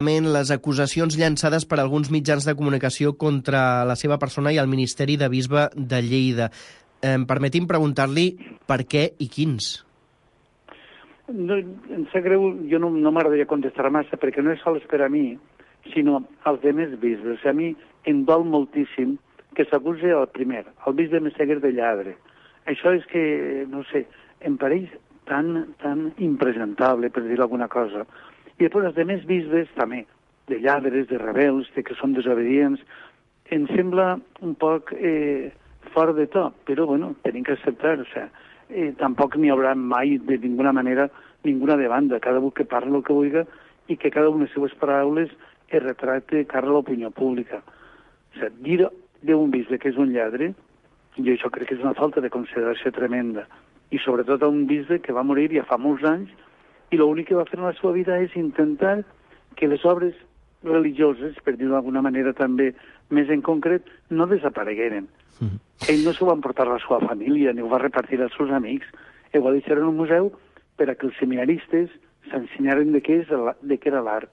les acusacions llançades per alguns mitjans de comunicació contra la seva persona i el Ministeri de Bisbe de Lleida. Permeti'm preguntar-li per què i quins. No, em sap greu, jo no m'agradaria contestar massa, perquè no és sols per a mi, sinó als demés bisbes. A mi em dol moltíssim que s'acusi el primer, el bisbe Messeguer, de lladre. Això és que, no sé, em pareix tan impresentable, per dir alguna cosa. I després els demés bisbes, també, de lladres, de rebels, de que són desobedients, em sembla un poc fora de to, però, bueno, tenim que acceptar, o sigui, tampoc n'hi haurà mai, de ninguna manera, ninguna demanda, cada un que parli el que vulgui i que cada una de les seves paraules es retracte cara a l'opinió pública. O sigui, dir d'un bisbe que és un lladre, jo això crec que és una falta de consideració tremenda, i sobretot a un bisbe que va morir ja fa molts anys i l'únic que va fer en la seva vida és intentar que les obres religioses, per dir-ho d'alguna manera també més en concret, no desaparegueren. Ell no s'ho va emportar a la seva família, ni ho va repartir als seus amics, ho va deixar en un museu per a que els seminaristes s'ensenyaren de què era l'art.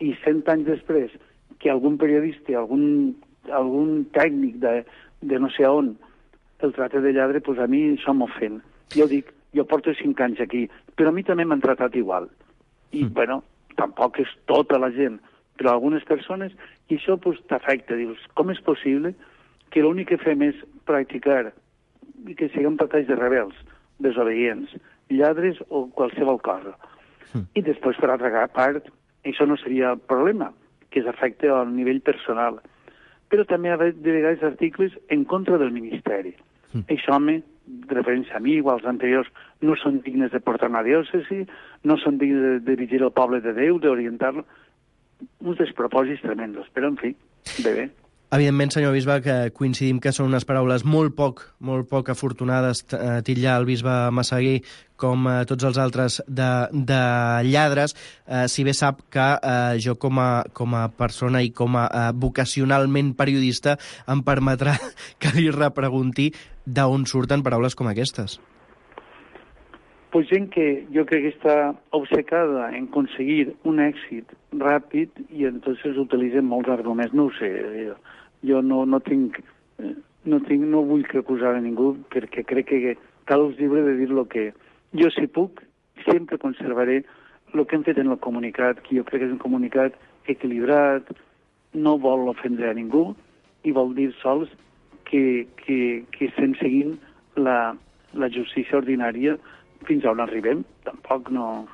I 100 anys després, que algun periodista, algun tècnic de no sé on el tracte de lladre, doncs a mi això m'ofèn. Jo dic, jo porto 5 anys aquí, però a mi també m'han tratat igual. I, bueno, tampoc és tota la gent, però algunes persones, i això pues, t'afecta. Dius, com és possible que l'únic que fem és practicar i que siguem patalls de rebels, desobedients, lladres o qualsevol cosa. I després, per altra part, això no seria el problema, que s'afecta al nivell personal. Però també hi ha de vegades articles en contra del Ministeri. Això, home, de referència a mi o als anteriors, no són dignes de portar una diòcesi, no són dignes de dirigir el poble de Déu, d'orientar-lo. Uns despropòsits tremendos, però, en fi, bé. Evidentment, senyor bisbe, que coincidim que són unes paraules molt poc afortunades, titllar el bisbe Messeguer com tots els altres de lladres, si bé sap que jo com a persona i com a vocacionalment periodista em permetrà que li repregunti d'on surten paraules com aquestes. Pues gent que jo crec que està obcecada en aconseguir un èxit ràpid i entonces utilitzen molts arguments. No ho sé, jo no vull que acusar a ningú perquè crec que cal és lliure de dir el que jo, si puc, sempre conservaré el que hem fet en el comunicat, que jo crec que és un comunicat equilibrat, no vol ofendre a ningú i vol dir sols que estem seguint la justícia ordinària fins a on arribem. Tampoc no...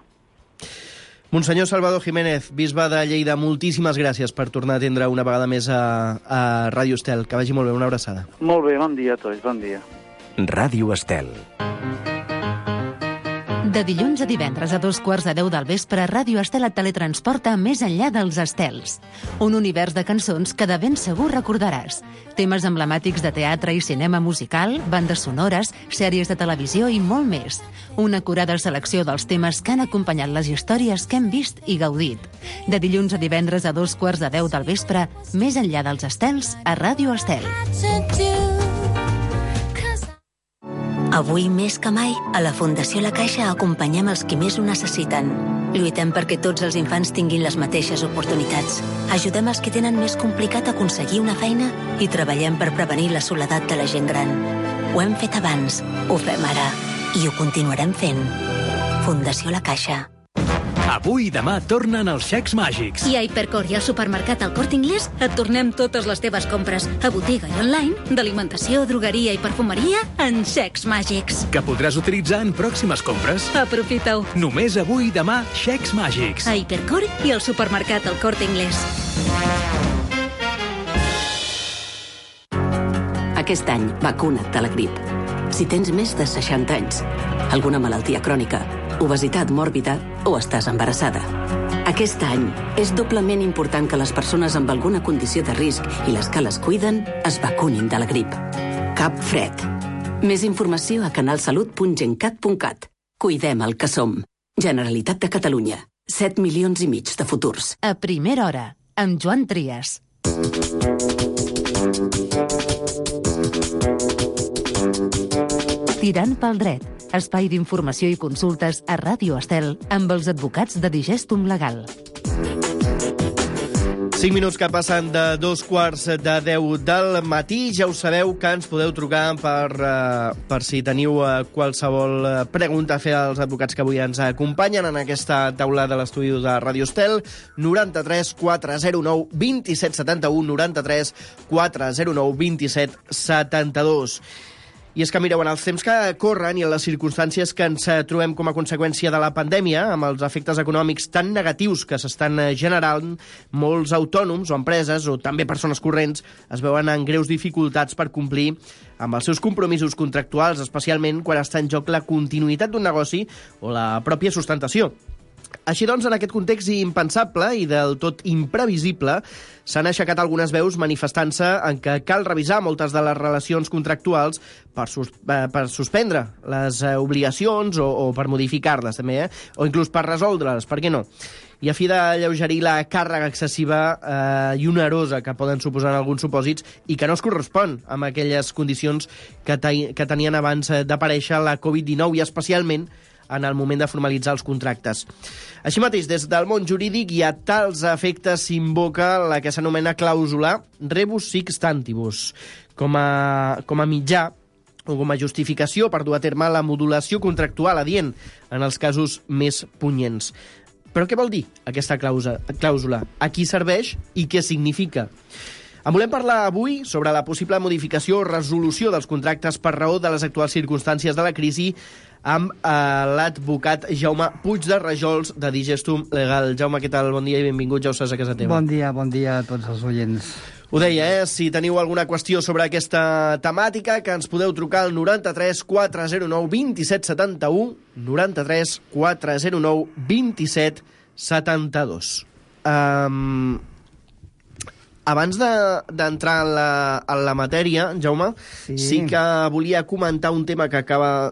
Monsenyor Salvador Jiménez, bisbe de Lleida, moltíssimes gràcies per tornar a atendre una vegada més a Ràdio Estel. Que vagi molt bé, una abraçada. Molt bé, bon dia a tots, bon dia. Ràdio Estel. De dilluns a divendres a 9:15 del vespre, Ràdio Estel et teletransporta més enllà dels estels. Un univers de cançons que de ben segur recordaràs. Temes emblemàtics de teatre i cinema musical, bandes sonores, sèries de televisió i molt més. Una acurada selecció dels temes que han acompanyat les històries que hem vist i gaudit. De dilluns a divendres a 9:15 del vespre, més enllà dels estels, a Ràdio Estel. Avui, més que mai, a la Fundació La Caixa acompanyem els qui més ho necessiten. Lluitem perquè tots els infants tinguin les mateixes oportunitats. Ajudem els que tenen més complicat aconseguir una feina i treballem per prevenir la soledat de la gent gran. Ho hem fet abans, ho fem ara i ho continuarem fent. Fundació La Caixa. Avui i demà tornen els xecs màgics. I a Hipercor i al supermercat El Corte Inglés et tornem totes les teves compres a botiga i online, d'alimentació, drogueria i perfumeria en xecs màgics. Que podràs utilitzar en pròximes compres. Aprofita-ho. Només avui i demà, xecs màgics. A Hipercor i al supermercat El Corte Inglés. Aquest any, vacuna't de la grip. Si tens més de 60 anys, alguna malaltia crònica, obesitat mòrbida o estàs embarassada. Aquest any és doblement important que les persones amb alguna condició de risc i les que les cuiden es vacunin de la grip. Cap fred. Més informació a canalsalut.gencat.cat. Cuidem el que som. Generalitat de Catalunya. 7,5 milions de futurs. A primera hora, amb Joan Trias. Tirant pel dret, espai d'informació i consultes a Ràdio Estel amb els advocats de Digestum Legal. 5 minuts que passen de 2:45 del matí. Ja ho sabeu que ens podeu trucar per si teniu qualsevol pregunta a fer als advocats que avui ens acompanyen en aquesta taula de l'estudi de Ràdio Estel. 93 409 27 71, 93 409 27 72. I és que, mireu, en els temps que corren i en les circumstàncies que ens trobem com a conseqüència de la pandèmia, amb els efectes econòmics tan negatius que s'estan generant, molts autònoms o empreses, o també persones corrents, es veuen en greus dificultats per complir amb els seus compromisos contractuals, especialment quan està en joc la continuïtat d'un negoci o la pròpia sustentació. Així doncs, en aquest context impensable i del tot imprevisible, s'han aixecat algunes veus manifestant-se en què cal revisar moltes de les relacions contractuals per suspendre les obligacions o per modificar-les, també, o inclús per resoldre-les, per què no? I a fi d'alleugerir la càrrega excessiva i onerosa que poden suposar en alguns supòsits i que no es correspon amb aquelles condicions que tenien abans d'aparèixer la Covid-19 i especialment en el moment de formalitzar els contractes. Així mateix, des del món jurídic i a tals efectes s'invoca la que s'anomena clàusula rebus sic stantibus, com a mitjà o com a justificació per dur a terme la modulació contractual adient en els casos més punyents. Però què vol dir aquesta clàusula? A qui serveix i què significa? En volem parlar avui sobre la possible modificació o resolució dels contractes per raó de les actuals circumstàncies de la crisi amb l'advocat Jaume Puig de Rajols, de Digestum Legal. Jaume, què tal? Bon dia i benvingut, ja ho saps, a casa teva. Bon dia a tots els oients. Ho deia, si teniu alguna qüestió sobre aquesta temàtica, que ens podeu trucar al 93 409 27 71, 93 409 27 72. Abans d'entrar en la matèria, Jaume, sí que volia comentar un tema que acaba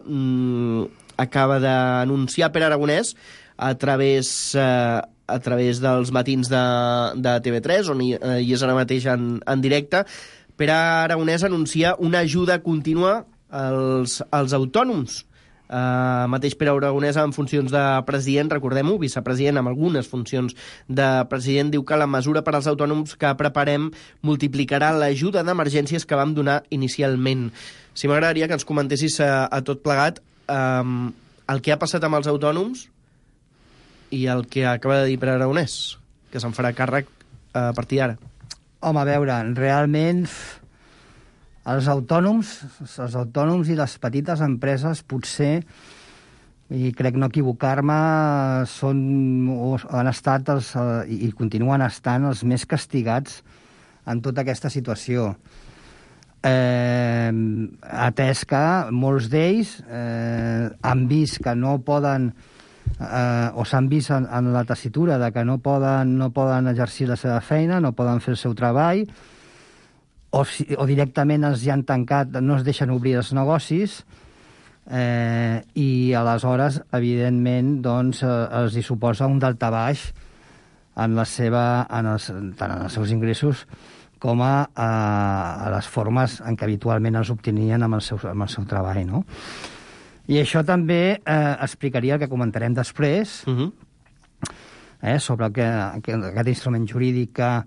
d'anunciar Pere Aragonès a través dels matins de TV3, on hi és ara mateix en directe. Pere Aragonès anuncia una ajuda contínua als autònoms. Mateix Pere Aragonès en funcions de president, recordem-ho, vicepresident amb algunes funcions de president, diu que la mesura per als autònoms que preparem multiplicarà l'ajuda d'emergències que vam donar inicialment. Si m'agradaria que ens comentessis a tot plegat el que ha passat amb els autònoms i el que acaba de dir Pere Aragonès, que se'n farà càrrec a partir d'ara. Home, a veure, realment els autònoms i les petites empreses potser, i crec no equivocar-me, han estat i continuen estant els més castigats en tota aquesta situació. Atès que molts d'ells han vist que no poden o s'han vist en la tessitura de que no poden exercir la seva feina, no poden fer el seu treball, o directament els hi han tancat, no es deixen obrir els negocis, i aleshores, evidentment, doncs, els hi suposa un daltabaix tant en els seus ingressos com a les formes en què habitualment els obtenien amb el seu treball, no? I això també explicaria el que comentarem després, sobre aquest instrument jurídic que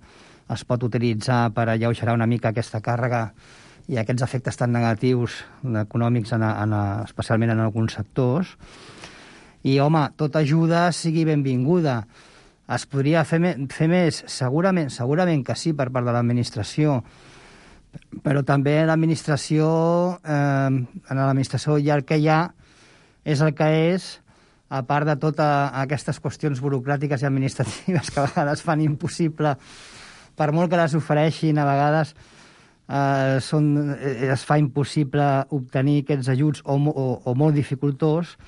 es pot utilitzar per alleugerar una mica aquesta càrrega i aquests efectes tan negatius econòmics, especialment en alguns sectors. I, home, tota ajuda sigui benvinguda. Es podria fer més? Segurament que sí, per part de l'administració. Però també l'administració, ja el que hi ha és el que és, a part de totes aquestes qüestions burocràtiques i administratives que a vegades fan impossible, per molt que les ofereixin, a vegades es fa impossible obtenir aquests ajuts o molt dificultós,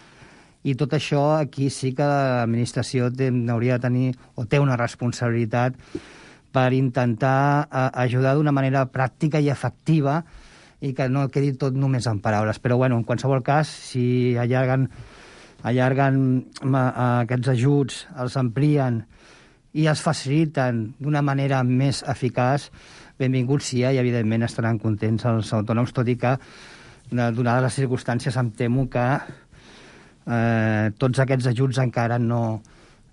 i tot això aquí sí que l'administració hauria de tenir o té una responsabilitat per intentar ajudar d'una manera pràctica i efectiva i que no quedi tot només en paraules. Però, bueno, en qualsevol cas, si allarguen aquests ajuts, els amplien i els faciliten d'una manera més eficaç, benvinguts sí, i evidentment estaran contents els autònoms, tot i que, donades les circumstàncies, em temo que tots aquests ajuts encara no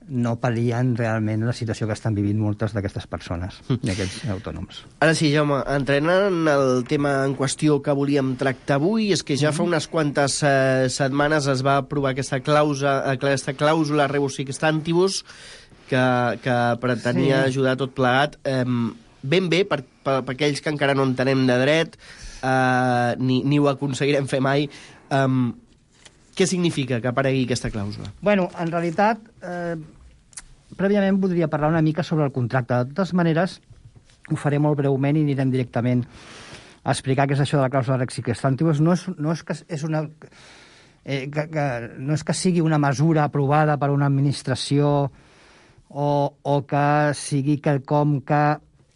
no pal·lien realment la situació que estan vivint moltes d'aquestes persones i aquests autònoms. Ara sí, Jaume, entrenant el tema en qüestió que volíem tractar avui, és que ja fa unes quantes setmanes es va aprovar aquesta clàusula rebus sic stantibus que pretenia ajudar tot plegat. Ben bé, per aquells que encara no entenem de dret, ni ho aconseguirem fer mai, què significa que aparegui aquesta clàusula? Bueno, en realitat, prèviament voldria parlar una mica sobre el contracte. De totes maneres, ho faré molt breument i anirem directament a explicar què és això de la clàusula rebus sic stantibus. No és que sigui una mesura aprovada per una administració o que sigui quelcom que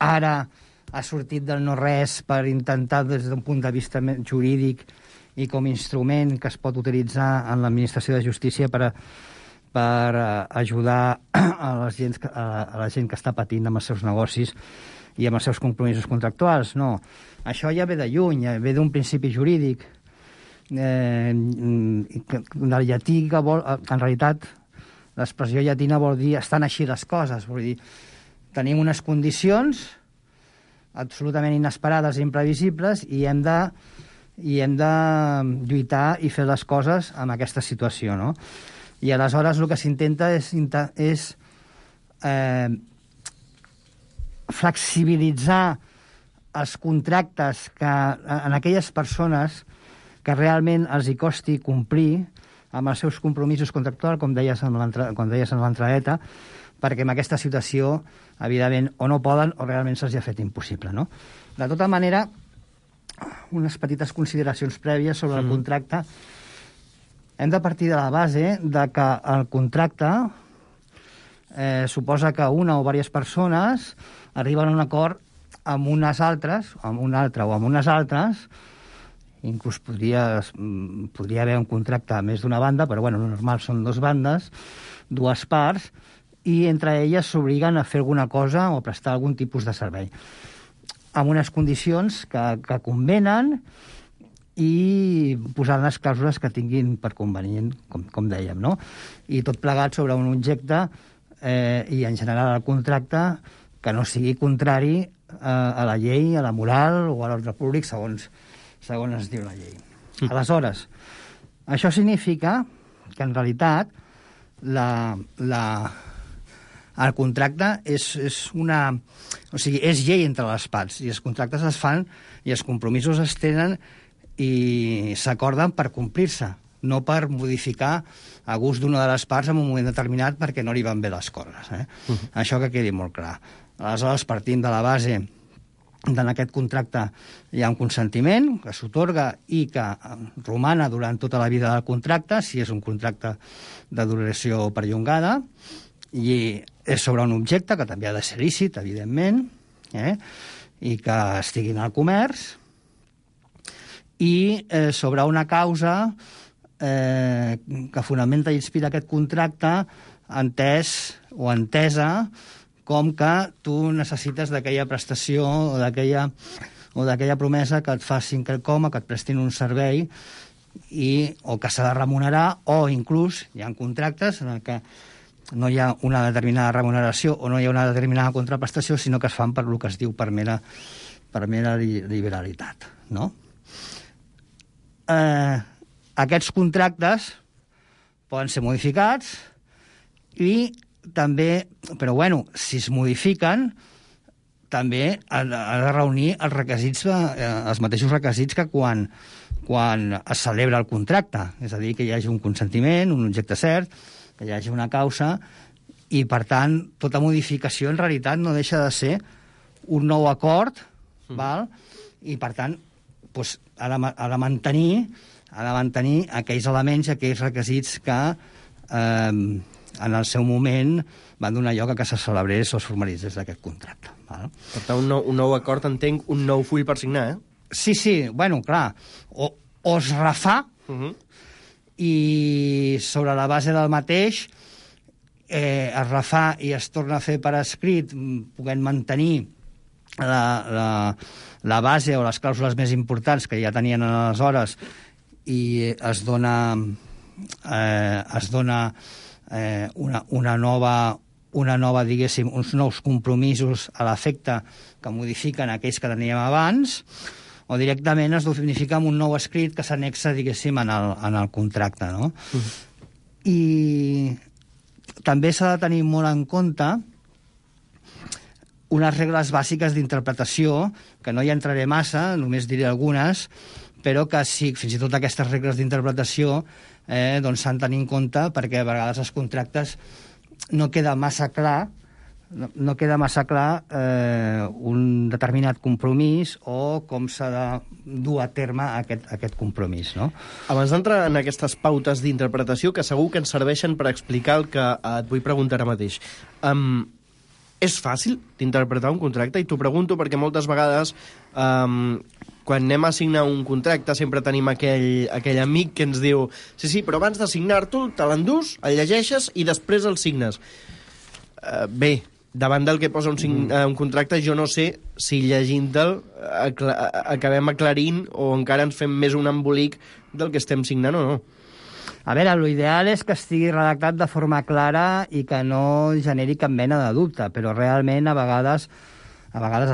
ara ha sortit del no-res per intentar, des d'un punt de vista jurídic i com a instrument que es pot utilitzar en l'administració de justícia per ajudar a la gent que està patint amb els seus negocis i amb els seus compromisos contractuals. No, això ja ve de lluny, ve d'un principi jurídic del llatí que vol... En realitat, l'expressió llatina vol dir estan així les coses, vol dir tenim unes condicions absolutament inesperades i imprevisibles i hem de lluitar i fer les coses amb aquesta situació, no? I aleshores el que s'intenta és flexibilitzar els contractes que en aquelles persones que realment els hi costi complir amb els seus compromisos contractuals, com deies en l'entradeta, perquè en aquesta situació, evidentment, o no poden o realment se'ls ha fet impossible, no? De tota manera, unes petites consideracions prèvies sobre el contracte. Hem de partir de la base de que el contracte suposa que una o diverses persones arriben a un acord amb unes altres, amb un altre o amb unes altres. Inclús podria haver un contracte a més d'una banda, però bueno, el normal són dues bandes, dues parts, i entre elles s'obliguen a fer alguna cosa o a prestar algun tipus de servei, amb unes condicions que convenen i posant les clàusules que tinguin per convenient, com dèiem, no? I tot plegat sobre un objecte i en general el contracte que no sigui contrari a la llei, a la moral o a l'ordre públic, segons es diu la llei. Aleshores, això significa que en realitat el contracte és una... O sigui, és llei entre les parts, i els contractes es fan i els compromisos es tenen i s'acorden per complir-se, no per modificar a gust d'una de les parts en un moment determinat perquè no li van bé les coses. Això que quedi molt clar. Aleshores, partint de la base en aquest contracte hi ha un consentiment que s'atorga i que romana durant tota la vida del contracte, si és un contracte de duració perllongada, i és sobre un objecte que també ha de ser lícit, evidentment, i que estigui en el comerç, i sobre una causa que fonamenta i inspira aquest contracte entès o entesa com que tu necessites d'aquella prestació o d'aquella promesa que et facin quelcom, que et prestin un servei o que s'ha de remunerar, o inclús hi ha contractes en què no hi ha una determinada remuneració o no hi ha una determinada contraprestació, sinó que es fan per el que es diu per mera liberalitat, no? Aquests contractes poden ser modificats i també, però bueno, si es modifiquen, també ha de reunir els requisits, els mateixos requisits que quan es celebra el contracte, és a dir, que hi hagi un consentiment, un objecte cert, que hi hagi una causa, i per tant tota modificació en realitat no deixa de ser un nou acord, val? I per tant doncs, ha de mantenir aquells elements i aquells requisits que en el seu moment van donar lloc a que se celebrés o es formalitzés d'aquest contracte. Val? Per tant, un nou acord, entenc, un nou full per signar, eh? Sí, bueno, clar, o es refà i sobre la base del mateix es refà i es torna a fer per escrit, podent mantenir la base o les clàusules més importants que ja tenien aleshores, i es dona una nova, diguéssim, uns nous compromisos a l'efecte que modifiquen aquells que teníem abans, o directament es unifica amb un nou escrit que s'anexa, diguéssim, en el contracte, no? I també s'ha de tenir molt en compte unes regles bàsiques d'interpretació, que no hi entraré massa, només diré algunes, però que sí, fins i tot aquestes regles d'interpretació doncs s'han de tenir en compte, perquè a vegades els contractes no queda massa clar un determinat compromís o com s'ha de dur a terme aquest compromís, no? Abans d'entrar en aquestes pautes d'interpretació, que segur que ens serveixen per explicar el que et vull preguntar ara mateix, és fàcil d'interpretar un contracte? I t'ho pregunto perquè moltes vegades quan anem a signar un contracte sempre tenim aquell amic que ens diu sí, però abans de signar-te'l te l'endús, el llegeixes i després el signes. Bé, davant del que posa un contracte, jo no sé si llegint-te'l acabem aclarint o encara ens fem més un embolic del que estem signant o no. A veure, l'ideal és que estigui redactat de forma clara i que no generi cap mena de dubte, però realment a vegades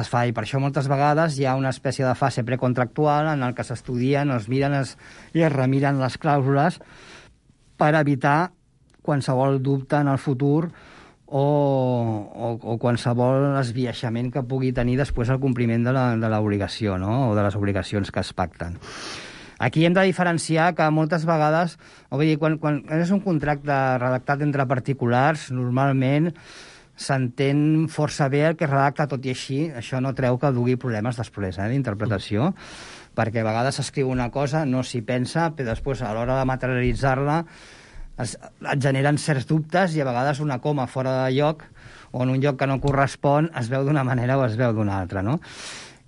es fa, i per això moltes vegades hi ha una espècie de fase precontractual en el que s'estudien, es miren i es remiren les clàusules per evitar qualsevol dubte en el futur o qualsevol esbiaixament que pugui tenir després el compliment de l'obligació, no? O de les obligacions que es pacten. Aquí hem de diferenciar que moltes vegades, quan és un contracte redactat entre particulars, normalment s'entén força bé el que redacta, tot i així, això no treu que dugui problemes després d'interpretació, perquè a vegades s'escriu una cosa, no s'hi pensa, però després a l'hora de materialitzar-la et generen certs dubtes i a vegades una coma fora de lloc o en un lloc que no correspon es veu d'una manera o es veu d'una altra, no?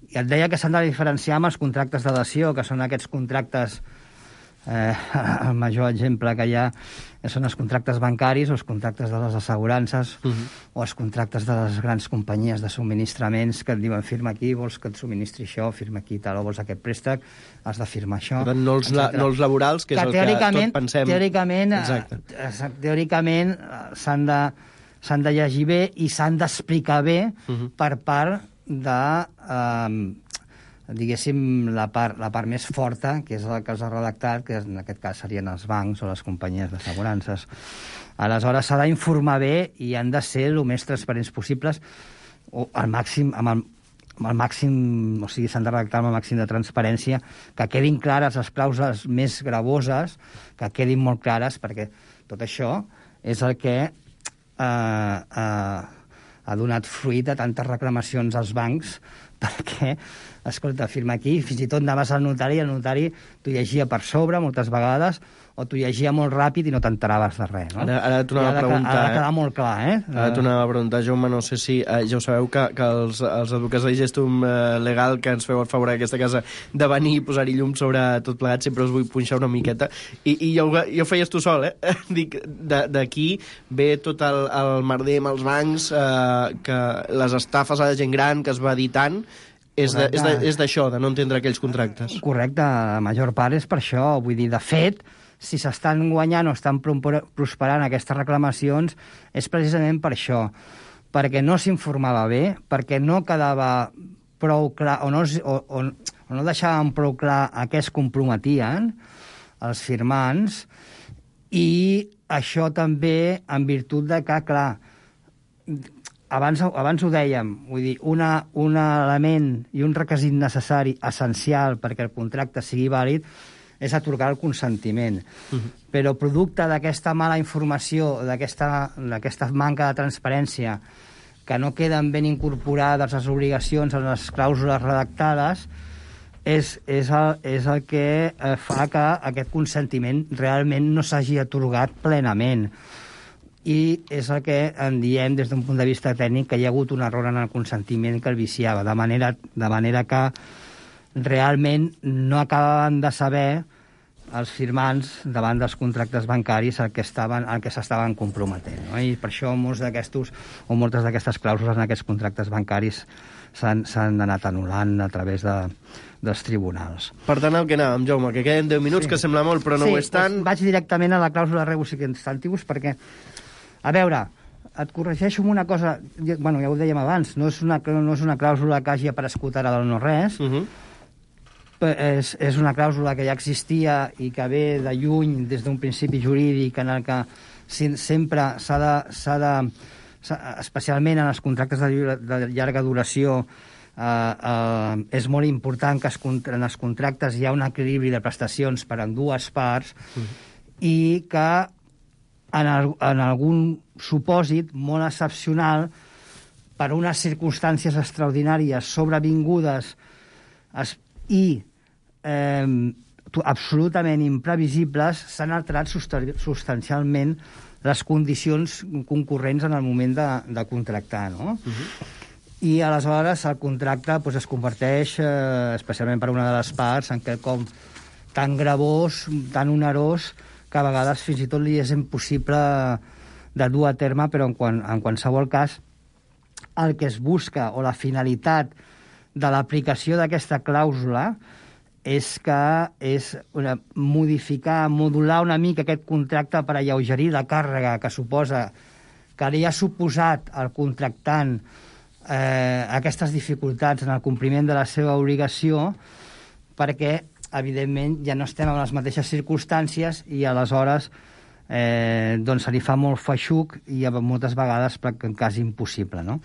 I et deia que s'han de diferenciar amb els contractes de dació, que són aquests contractes, el major exemple que hi ha són els contractes bancaris o els contractes de les assegurances o els contractes de les grans companyies de subministraments que et diuen firma aquí, vols que et subministri això, firma aquí tal, o vols aquest préstec, has de firmar això. Per tant, no els laborals, que és el que tot pensem. Teòricament s'han de llegir bé i s'han d'explicar bé per part de, diguéssim, la part més forta, que és la que els ha redactat, que en aquest cas serien els bancs o les companyies d'assegurances. Aleshores, s'ha d'informar bé i han de ser el més transparents possibles, o al màxim, o sigui, s'han de redactar amb el màxim de transparència, que quedin clares les clàusules més gravoses, que quedin molt clares, perquè tot això és el que ha donat fruit a tantes reclamacions als bancs, perquè, escolta, firma aquí, fins i tot anaves al notari i el notari t'ho llegia per sobre moltes vegades, o t'ho llegia molt ràpid i no t'enteraves de res, no? Ara t'ho anava a preguntar, ha de quedar molt clar, Ara t'ho anava a preguntar, Jaume, no sé si ja ho sabeu, que els advocats de Gestum Legal, que ens feu el favor d'aquesta casa de venir i posar-hi llum sobre tot plegat, sempre us vull punxar una miqueta, i ja ho feies tu sol, Dic, d'aquí ve tot el merder amb els bancs, que les estafes a la gent gran que es va dir tant, és d'això, de no entendre aquells contractes. Correcte, la major part és per això. Vull dir, de fet, si s'estan guanyant o estan prosperant aquestes reclamacions, és precisament per això, perquè no s'informava bé, perquè no quedava prou clar, o no deixaven prou clar a què es comprometien els firmants, i això també en virtut de que, clar, abans ho dèiem, vull dir, un element i un requisit necessari, essencial, perquè el contracte sigui vàlid, és atorgar el consentiment. Però producte d'aquesta mala informació, d'aquesta manca de transparència, que no queden ben incorporades les obligacions en les clàusules redactades, és el que fa que aquest consentiment realment no s'hagi atorgat plenament. I és el que en diem des d'un punt de vista tècnic que hi ha hagut un error en el consentiment que el viciava, de manera que realment no acabaven de saber els firmants davant dels contractes bancaris al que s'estaven comprometent, no? I per això moltes d'aquestes clàusules en aquests contractes bancaris s'han anat anul·lant a través dels tribunals. Per tant, el que anàvem, Jaume, que queden 10 minuts, que sembla molt, però no ho és tant. Sí, vaig directament a la clàusula rebus sic stantibus perquè, a veure, et corregeixo amb una cosa, bueno, ja ho dèiem abans, no és una clàusula que hagi aparegut ara del no-res, és una clàusula que ja existia i que ve de lluny des d'un principi jurídic en el que sempre s'ha de especialment en els contractes de llarga duració és molt important que en els contractes hi ha un equilibri de prestacions per a dues parts i que en algun supòsit molt excepcional per unes circumstàncies extraordinàries sobrevingudes i absolutament imprevisibles s'han alterat substancialment les condicions concurrents en el moment de contractar, no? I aleshores el contracte es converteix, especialment per una de les parts, en quelcom tan gravós, tan onerós, que a vegades fins i tot li és impossible de dur a terme, però en qualsevol cas el que es busca o la finalitat de l'aplicació d'aquesta clàusula és modificar, modular una mica aquest contracte per alleugerir la càrrega que suposa, que li ha suposat al contractant aquestes dificultats en el compliment de la seva obligació, perquè, evidentment, ja no estem en les mateixes circumstàncies i aleshores se li fa molt feixuc i moltes vegades quasi impossible, no?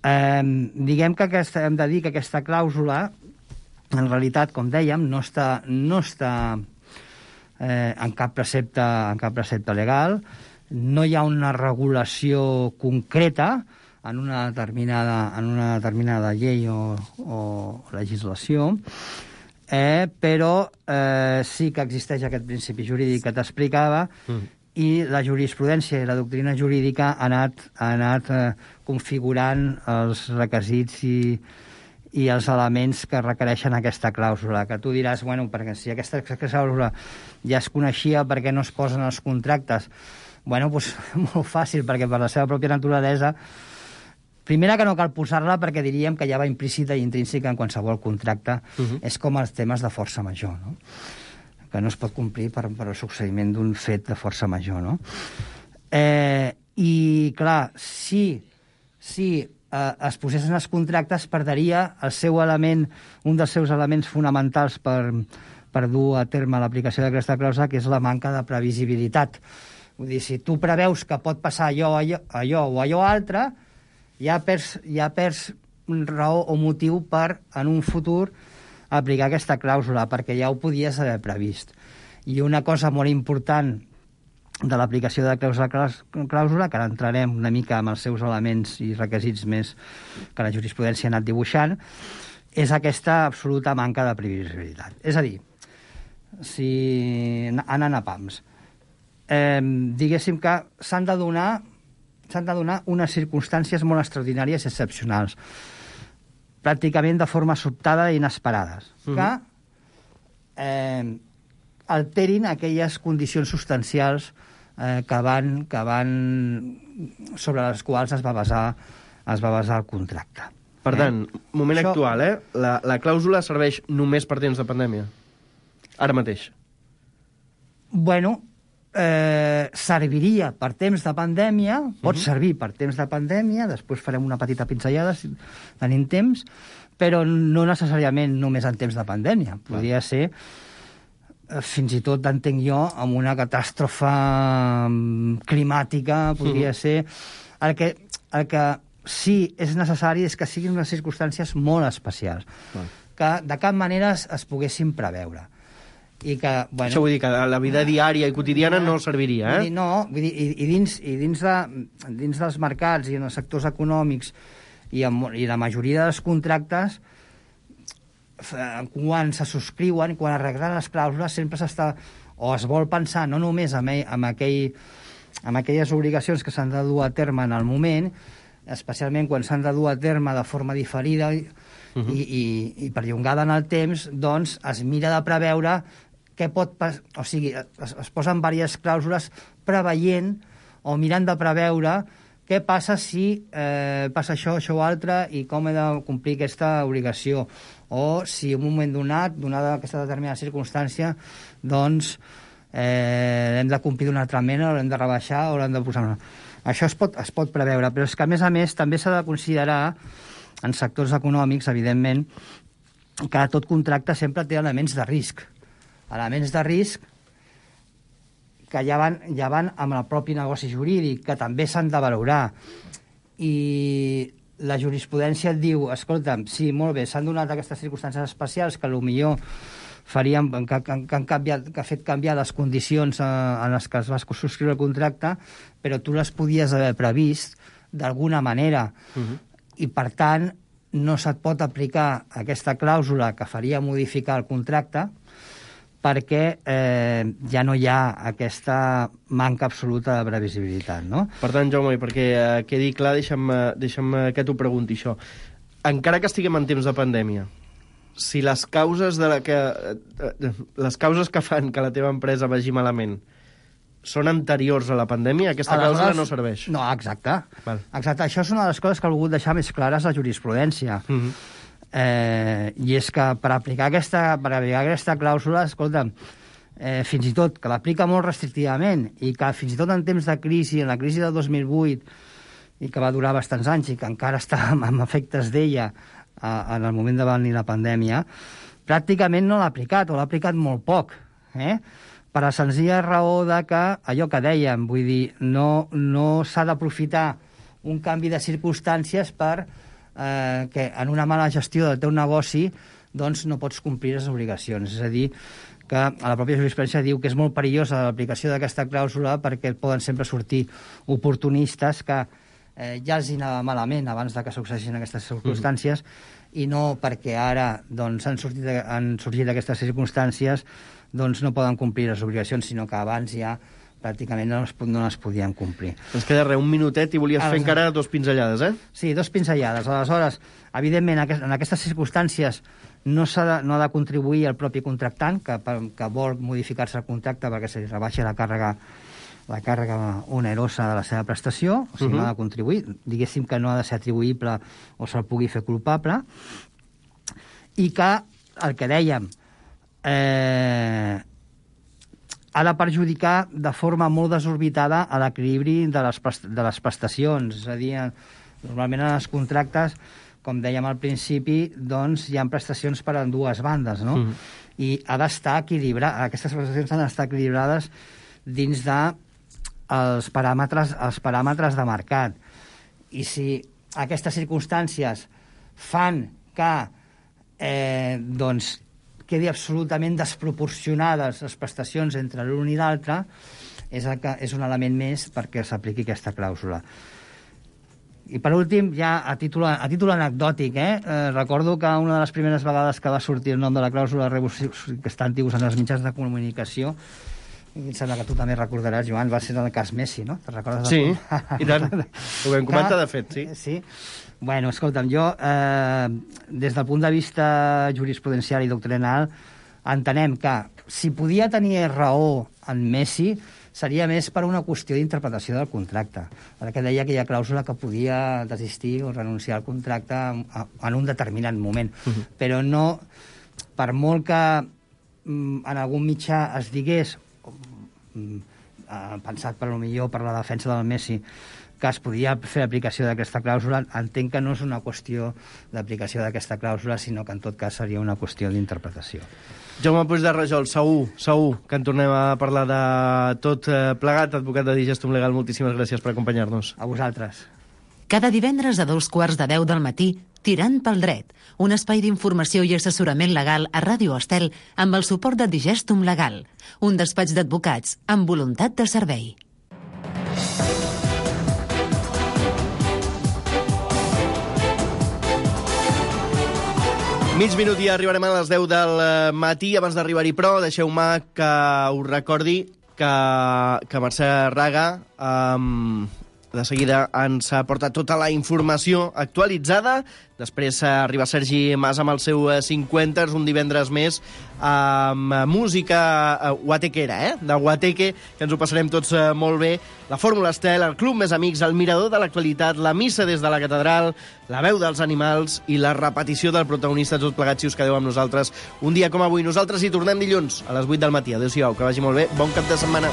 Diguem que hem de dir que aquesta clàusula en realitat, com dèiem, no està en cap precepte legal, no hi ha una regulació concreta en una determinada llei o legislació, però sí que existeix aquest principi jurídic que t'explicava i la jurisprudència i la doctrina jurídica ha anat configurant els requisits i els elements que requereixen aquesta clàusula, que tu diràs, bueno, perquè si aquesta clàusula ja es coneixia, per què no es posen els contractes? Bueno, doncs molt fàcil, perquè per la seva pròpia naturalesa, primera que no cal posar-la perquè diríem que ja va implícita i intrínseca en qualsevol contracte, és com els temes de força major, no? Que no es pot complir per el succeïment d'un fet de força major, no? I, clar, si es posessin els contractes, perdria un dels seus elements fonamentals per dur a terme l'aplicació d'aquesta clàusula, que és la manca de previsibilitat. Vull dir, si tu preveus que pot passar allò o allò altre, ja perds raó o motiu per, en un futur, aplicar aquesta clàusula, perquè ja ho podies haver previst. I una cosa molt important de l'aplicació de clàusula, que ara entrarem una mica amb els seus elements i requisits més que la jurisprudència ha anat dibuixant, és aquesta absoluta manca de previsibilitat. És a dir, anant a pams, diguéssim que s'han de donar unes circumstàncies molt extraordinàries i excepcionals, pràcticament de forma sobtada i inesperades, que alterin aquelles condicions substancials sobre les quals es va basar el contracte. Per tant, moment actual, la clàusula serveix només per temps de pandèmia? Ara mateix? Bueno, serviria per temps de pandèmia, pot servir per temps de pandèmia, després farem una petita pinzellada si tenim temps, però no necessàriament només en temps de pandèmia. Podria ser, fins i tot, entenc jo, amb una catàstrofe climàtica, podria ser... El que sí és necessari és que siguin unes circumstàncies molt especials, que de cap manera es poguessin preveure. I que, bueno, això vull dir que la vida diària i quotidiana no serviria, eh? No, vull dir, i dins dels mercats i en els sectors econòmics i la majoria dels contractes, quan se subscriuen, quan arreglen les clàusules, sempre s'està, o es vol pensar no només en aquelles obligacions que s'han de dur a terme en el moment, especialment quan s'han de dur a terme de forma diferida i perllongada en el temps, doncs es mira de preveure o sigui, es posen diverses clàusules preveient o mirant de preveure què passa si passa això o altre i com he de complir aquesta obligació, o si en un moment donada aquesta determinada circumstància, doncs l'hem de complir d'una altra mena, o l'hem de rebaixar, o l'hem de posar una... Això es pot preveure, però és que, a més, també s'ha de considerar, en sectors econòmics, evidentment, que tot contracte sempre té elements de risc. Elements de risc que ja van amb el propi negoci jurídic, que també s'han de valorar. I la jurisprudència et diu, escolta'm, sí, molt bé, s'han donat aquestes circumstàncies especials que potser farien, que ha fet canviar les condicions en les que es va subscriure el contracte, però tu les podies haver previst d'alguna manera. I, per tant, no se't pot aplicar aquesta clàusula que faria modificar el contracte perquè ja no hi ha aquesta manca absoluta de previsibilitat, no? Per tant, Jaume, perquè quedi clar, deixa'm que t'ho pregunti, això. Encara que estiguem en temps de pandèmia, si les causes que fan que la teva empresa vagi malament són anteriors a la pandèmia, aquesta clàusula no serveix. No, exacte. Exacte. Això és una de les coses que ha volgut deixar més clares la jurisprudència. I és que per aplicar aquesta clàusula, escolta'm, fins i tot que l'aplica molt restrictivament i que fins i tot en temps de crisi, en la crisi del 2008, i que va durar bastants anys i que encara està amb efectes d'ella en el moment de venir la pandèmia, pràcticament no l'ha aplicat, o l'ha aplicat molt poc, per la senzilla raó de que, allò que dèiem, vull dir, no s'ha d'aprofitar un canvi de circumstàncies per que en una mala gestió del teu negoci doncs no pots complir les obligacions. És a dir, que a la pròpia jurisprudència diu que és molt perillosa l'aplicació d'aquesta clàusula perquè poden sempre sortir oportunistes que ja els hi anava malament abans de que succeeixin aquestes circumstàncies i no perquè ara doncs, han sorgit aquestes circumstàncies doncs no poden complir les obligacions, sinó que abans ja pràcticament no les podien complir. Ens queda un minutet i volies fer encara 2 pinzellades, eh? Sí, 2 pinzellades. Aleshores, evidentment, en aquestes circumstàncies no ha de contribuir el propi contractant que vol modificar-se el contracte perquè se li rebaixa la càrrega onerosa de la seva prestació, o sigui, no ha de contribuir, diguéssim que no ha de ser atribuïble o se'l pugui fer culpable, i que, el que dèiem, ha de perjudicar de forma molt desorbitada a l'equilibri de les prestacions. És a dir, normalment en els contractes, com dèiem al principi, doncs hi ha prestacions per a dues bandes, no? I ha d'estar equilibrat, aquestes prestacions han d'estar equilibrades dins de els paràmetres de mercat. I si aquestes circumstàncies fan que doncs quedi absolutament desproporcionades les prestacions entre l'un i l'altre, és un element més perquè s'apliqui aquesta clàusula. I per últim, ja a títol anecdòtic, recordo que una de les primeres vegades que va sortir el nom de la clàusula que està antigus en els mitjans de comunicació, i em sembla que tu també recordaràs, Joan, va ser el cas Messi, no? Te'n recordes? Sí, i tant. Ho vam comentar, de fet, sí. Sí. Bueno, escolta'm, jo, des del punt de vista jurisprudencial i doctrinal, entenem que si podia tenir raó en Messi, seria més per una qüestió d'interpretació del contracte, perquè deia que hi ha clàusula que podia desistir o renunciar al contracte en un determinat moment, però no, per molt que en algun mitjà es digués, pensat per millor per la defensa del Messi, que es podia fer aplicació d'aquesta clàusula, entenc que no és una qüestió d'aplicació d'aquesta clàusula, sinó que en tot cas seria una qüestió d'interpretació. Jaume Puig de Rajol, segur que en tornem a parlar de tot plegat. Advocat de Digestum Legal, moltíssimes gràcies per acompanyar-nos. A vosaltres. Cada divendres a 2:15 del matí, Tirant pel dret, un espai d'informació i assessorament legal a Ràdio Estel amb el suport de Digestum Legal, un despatx d'advocats amb voluntat de servei. Mig minut i arribarem a les 10 del matí. Abans d'arribar-hi, però, deixeu-me que us recordi que Mercè Raga de seguida ens porta tota la informació actualitzada. Després arriba Sergi Mas amb el seu 50ers, un divendres més, amb música guatequera, de Guateque, que ens ho passarem tots molt bé. La Fórmula Estel, el Club Més Amics, el Mirador de l'actualitat, la missa des de la catedral, la veu dels animals i la repetició del protagonista. Tots plegats, si us quedeu amb nosaltres un dia com avui. Nosaltres hi tornem dilluns a les 8 del matí. Adéu-siau, que vagi molt bé. Bon cap de setmana.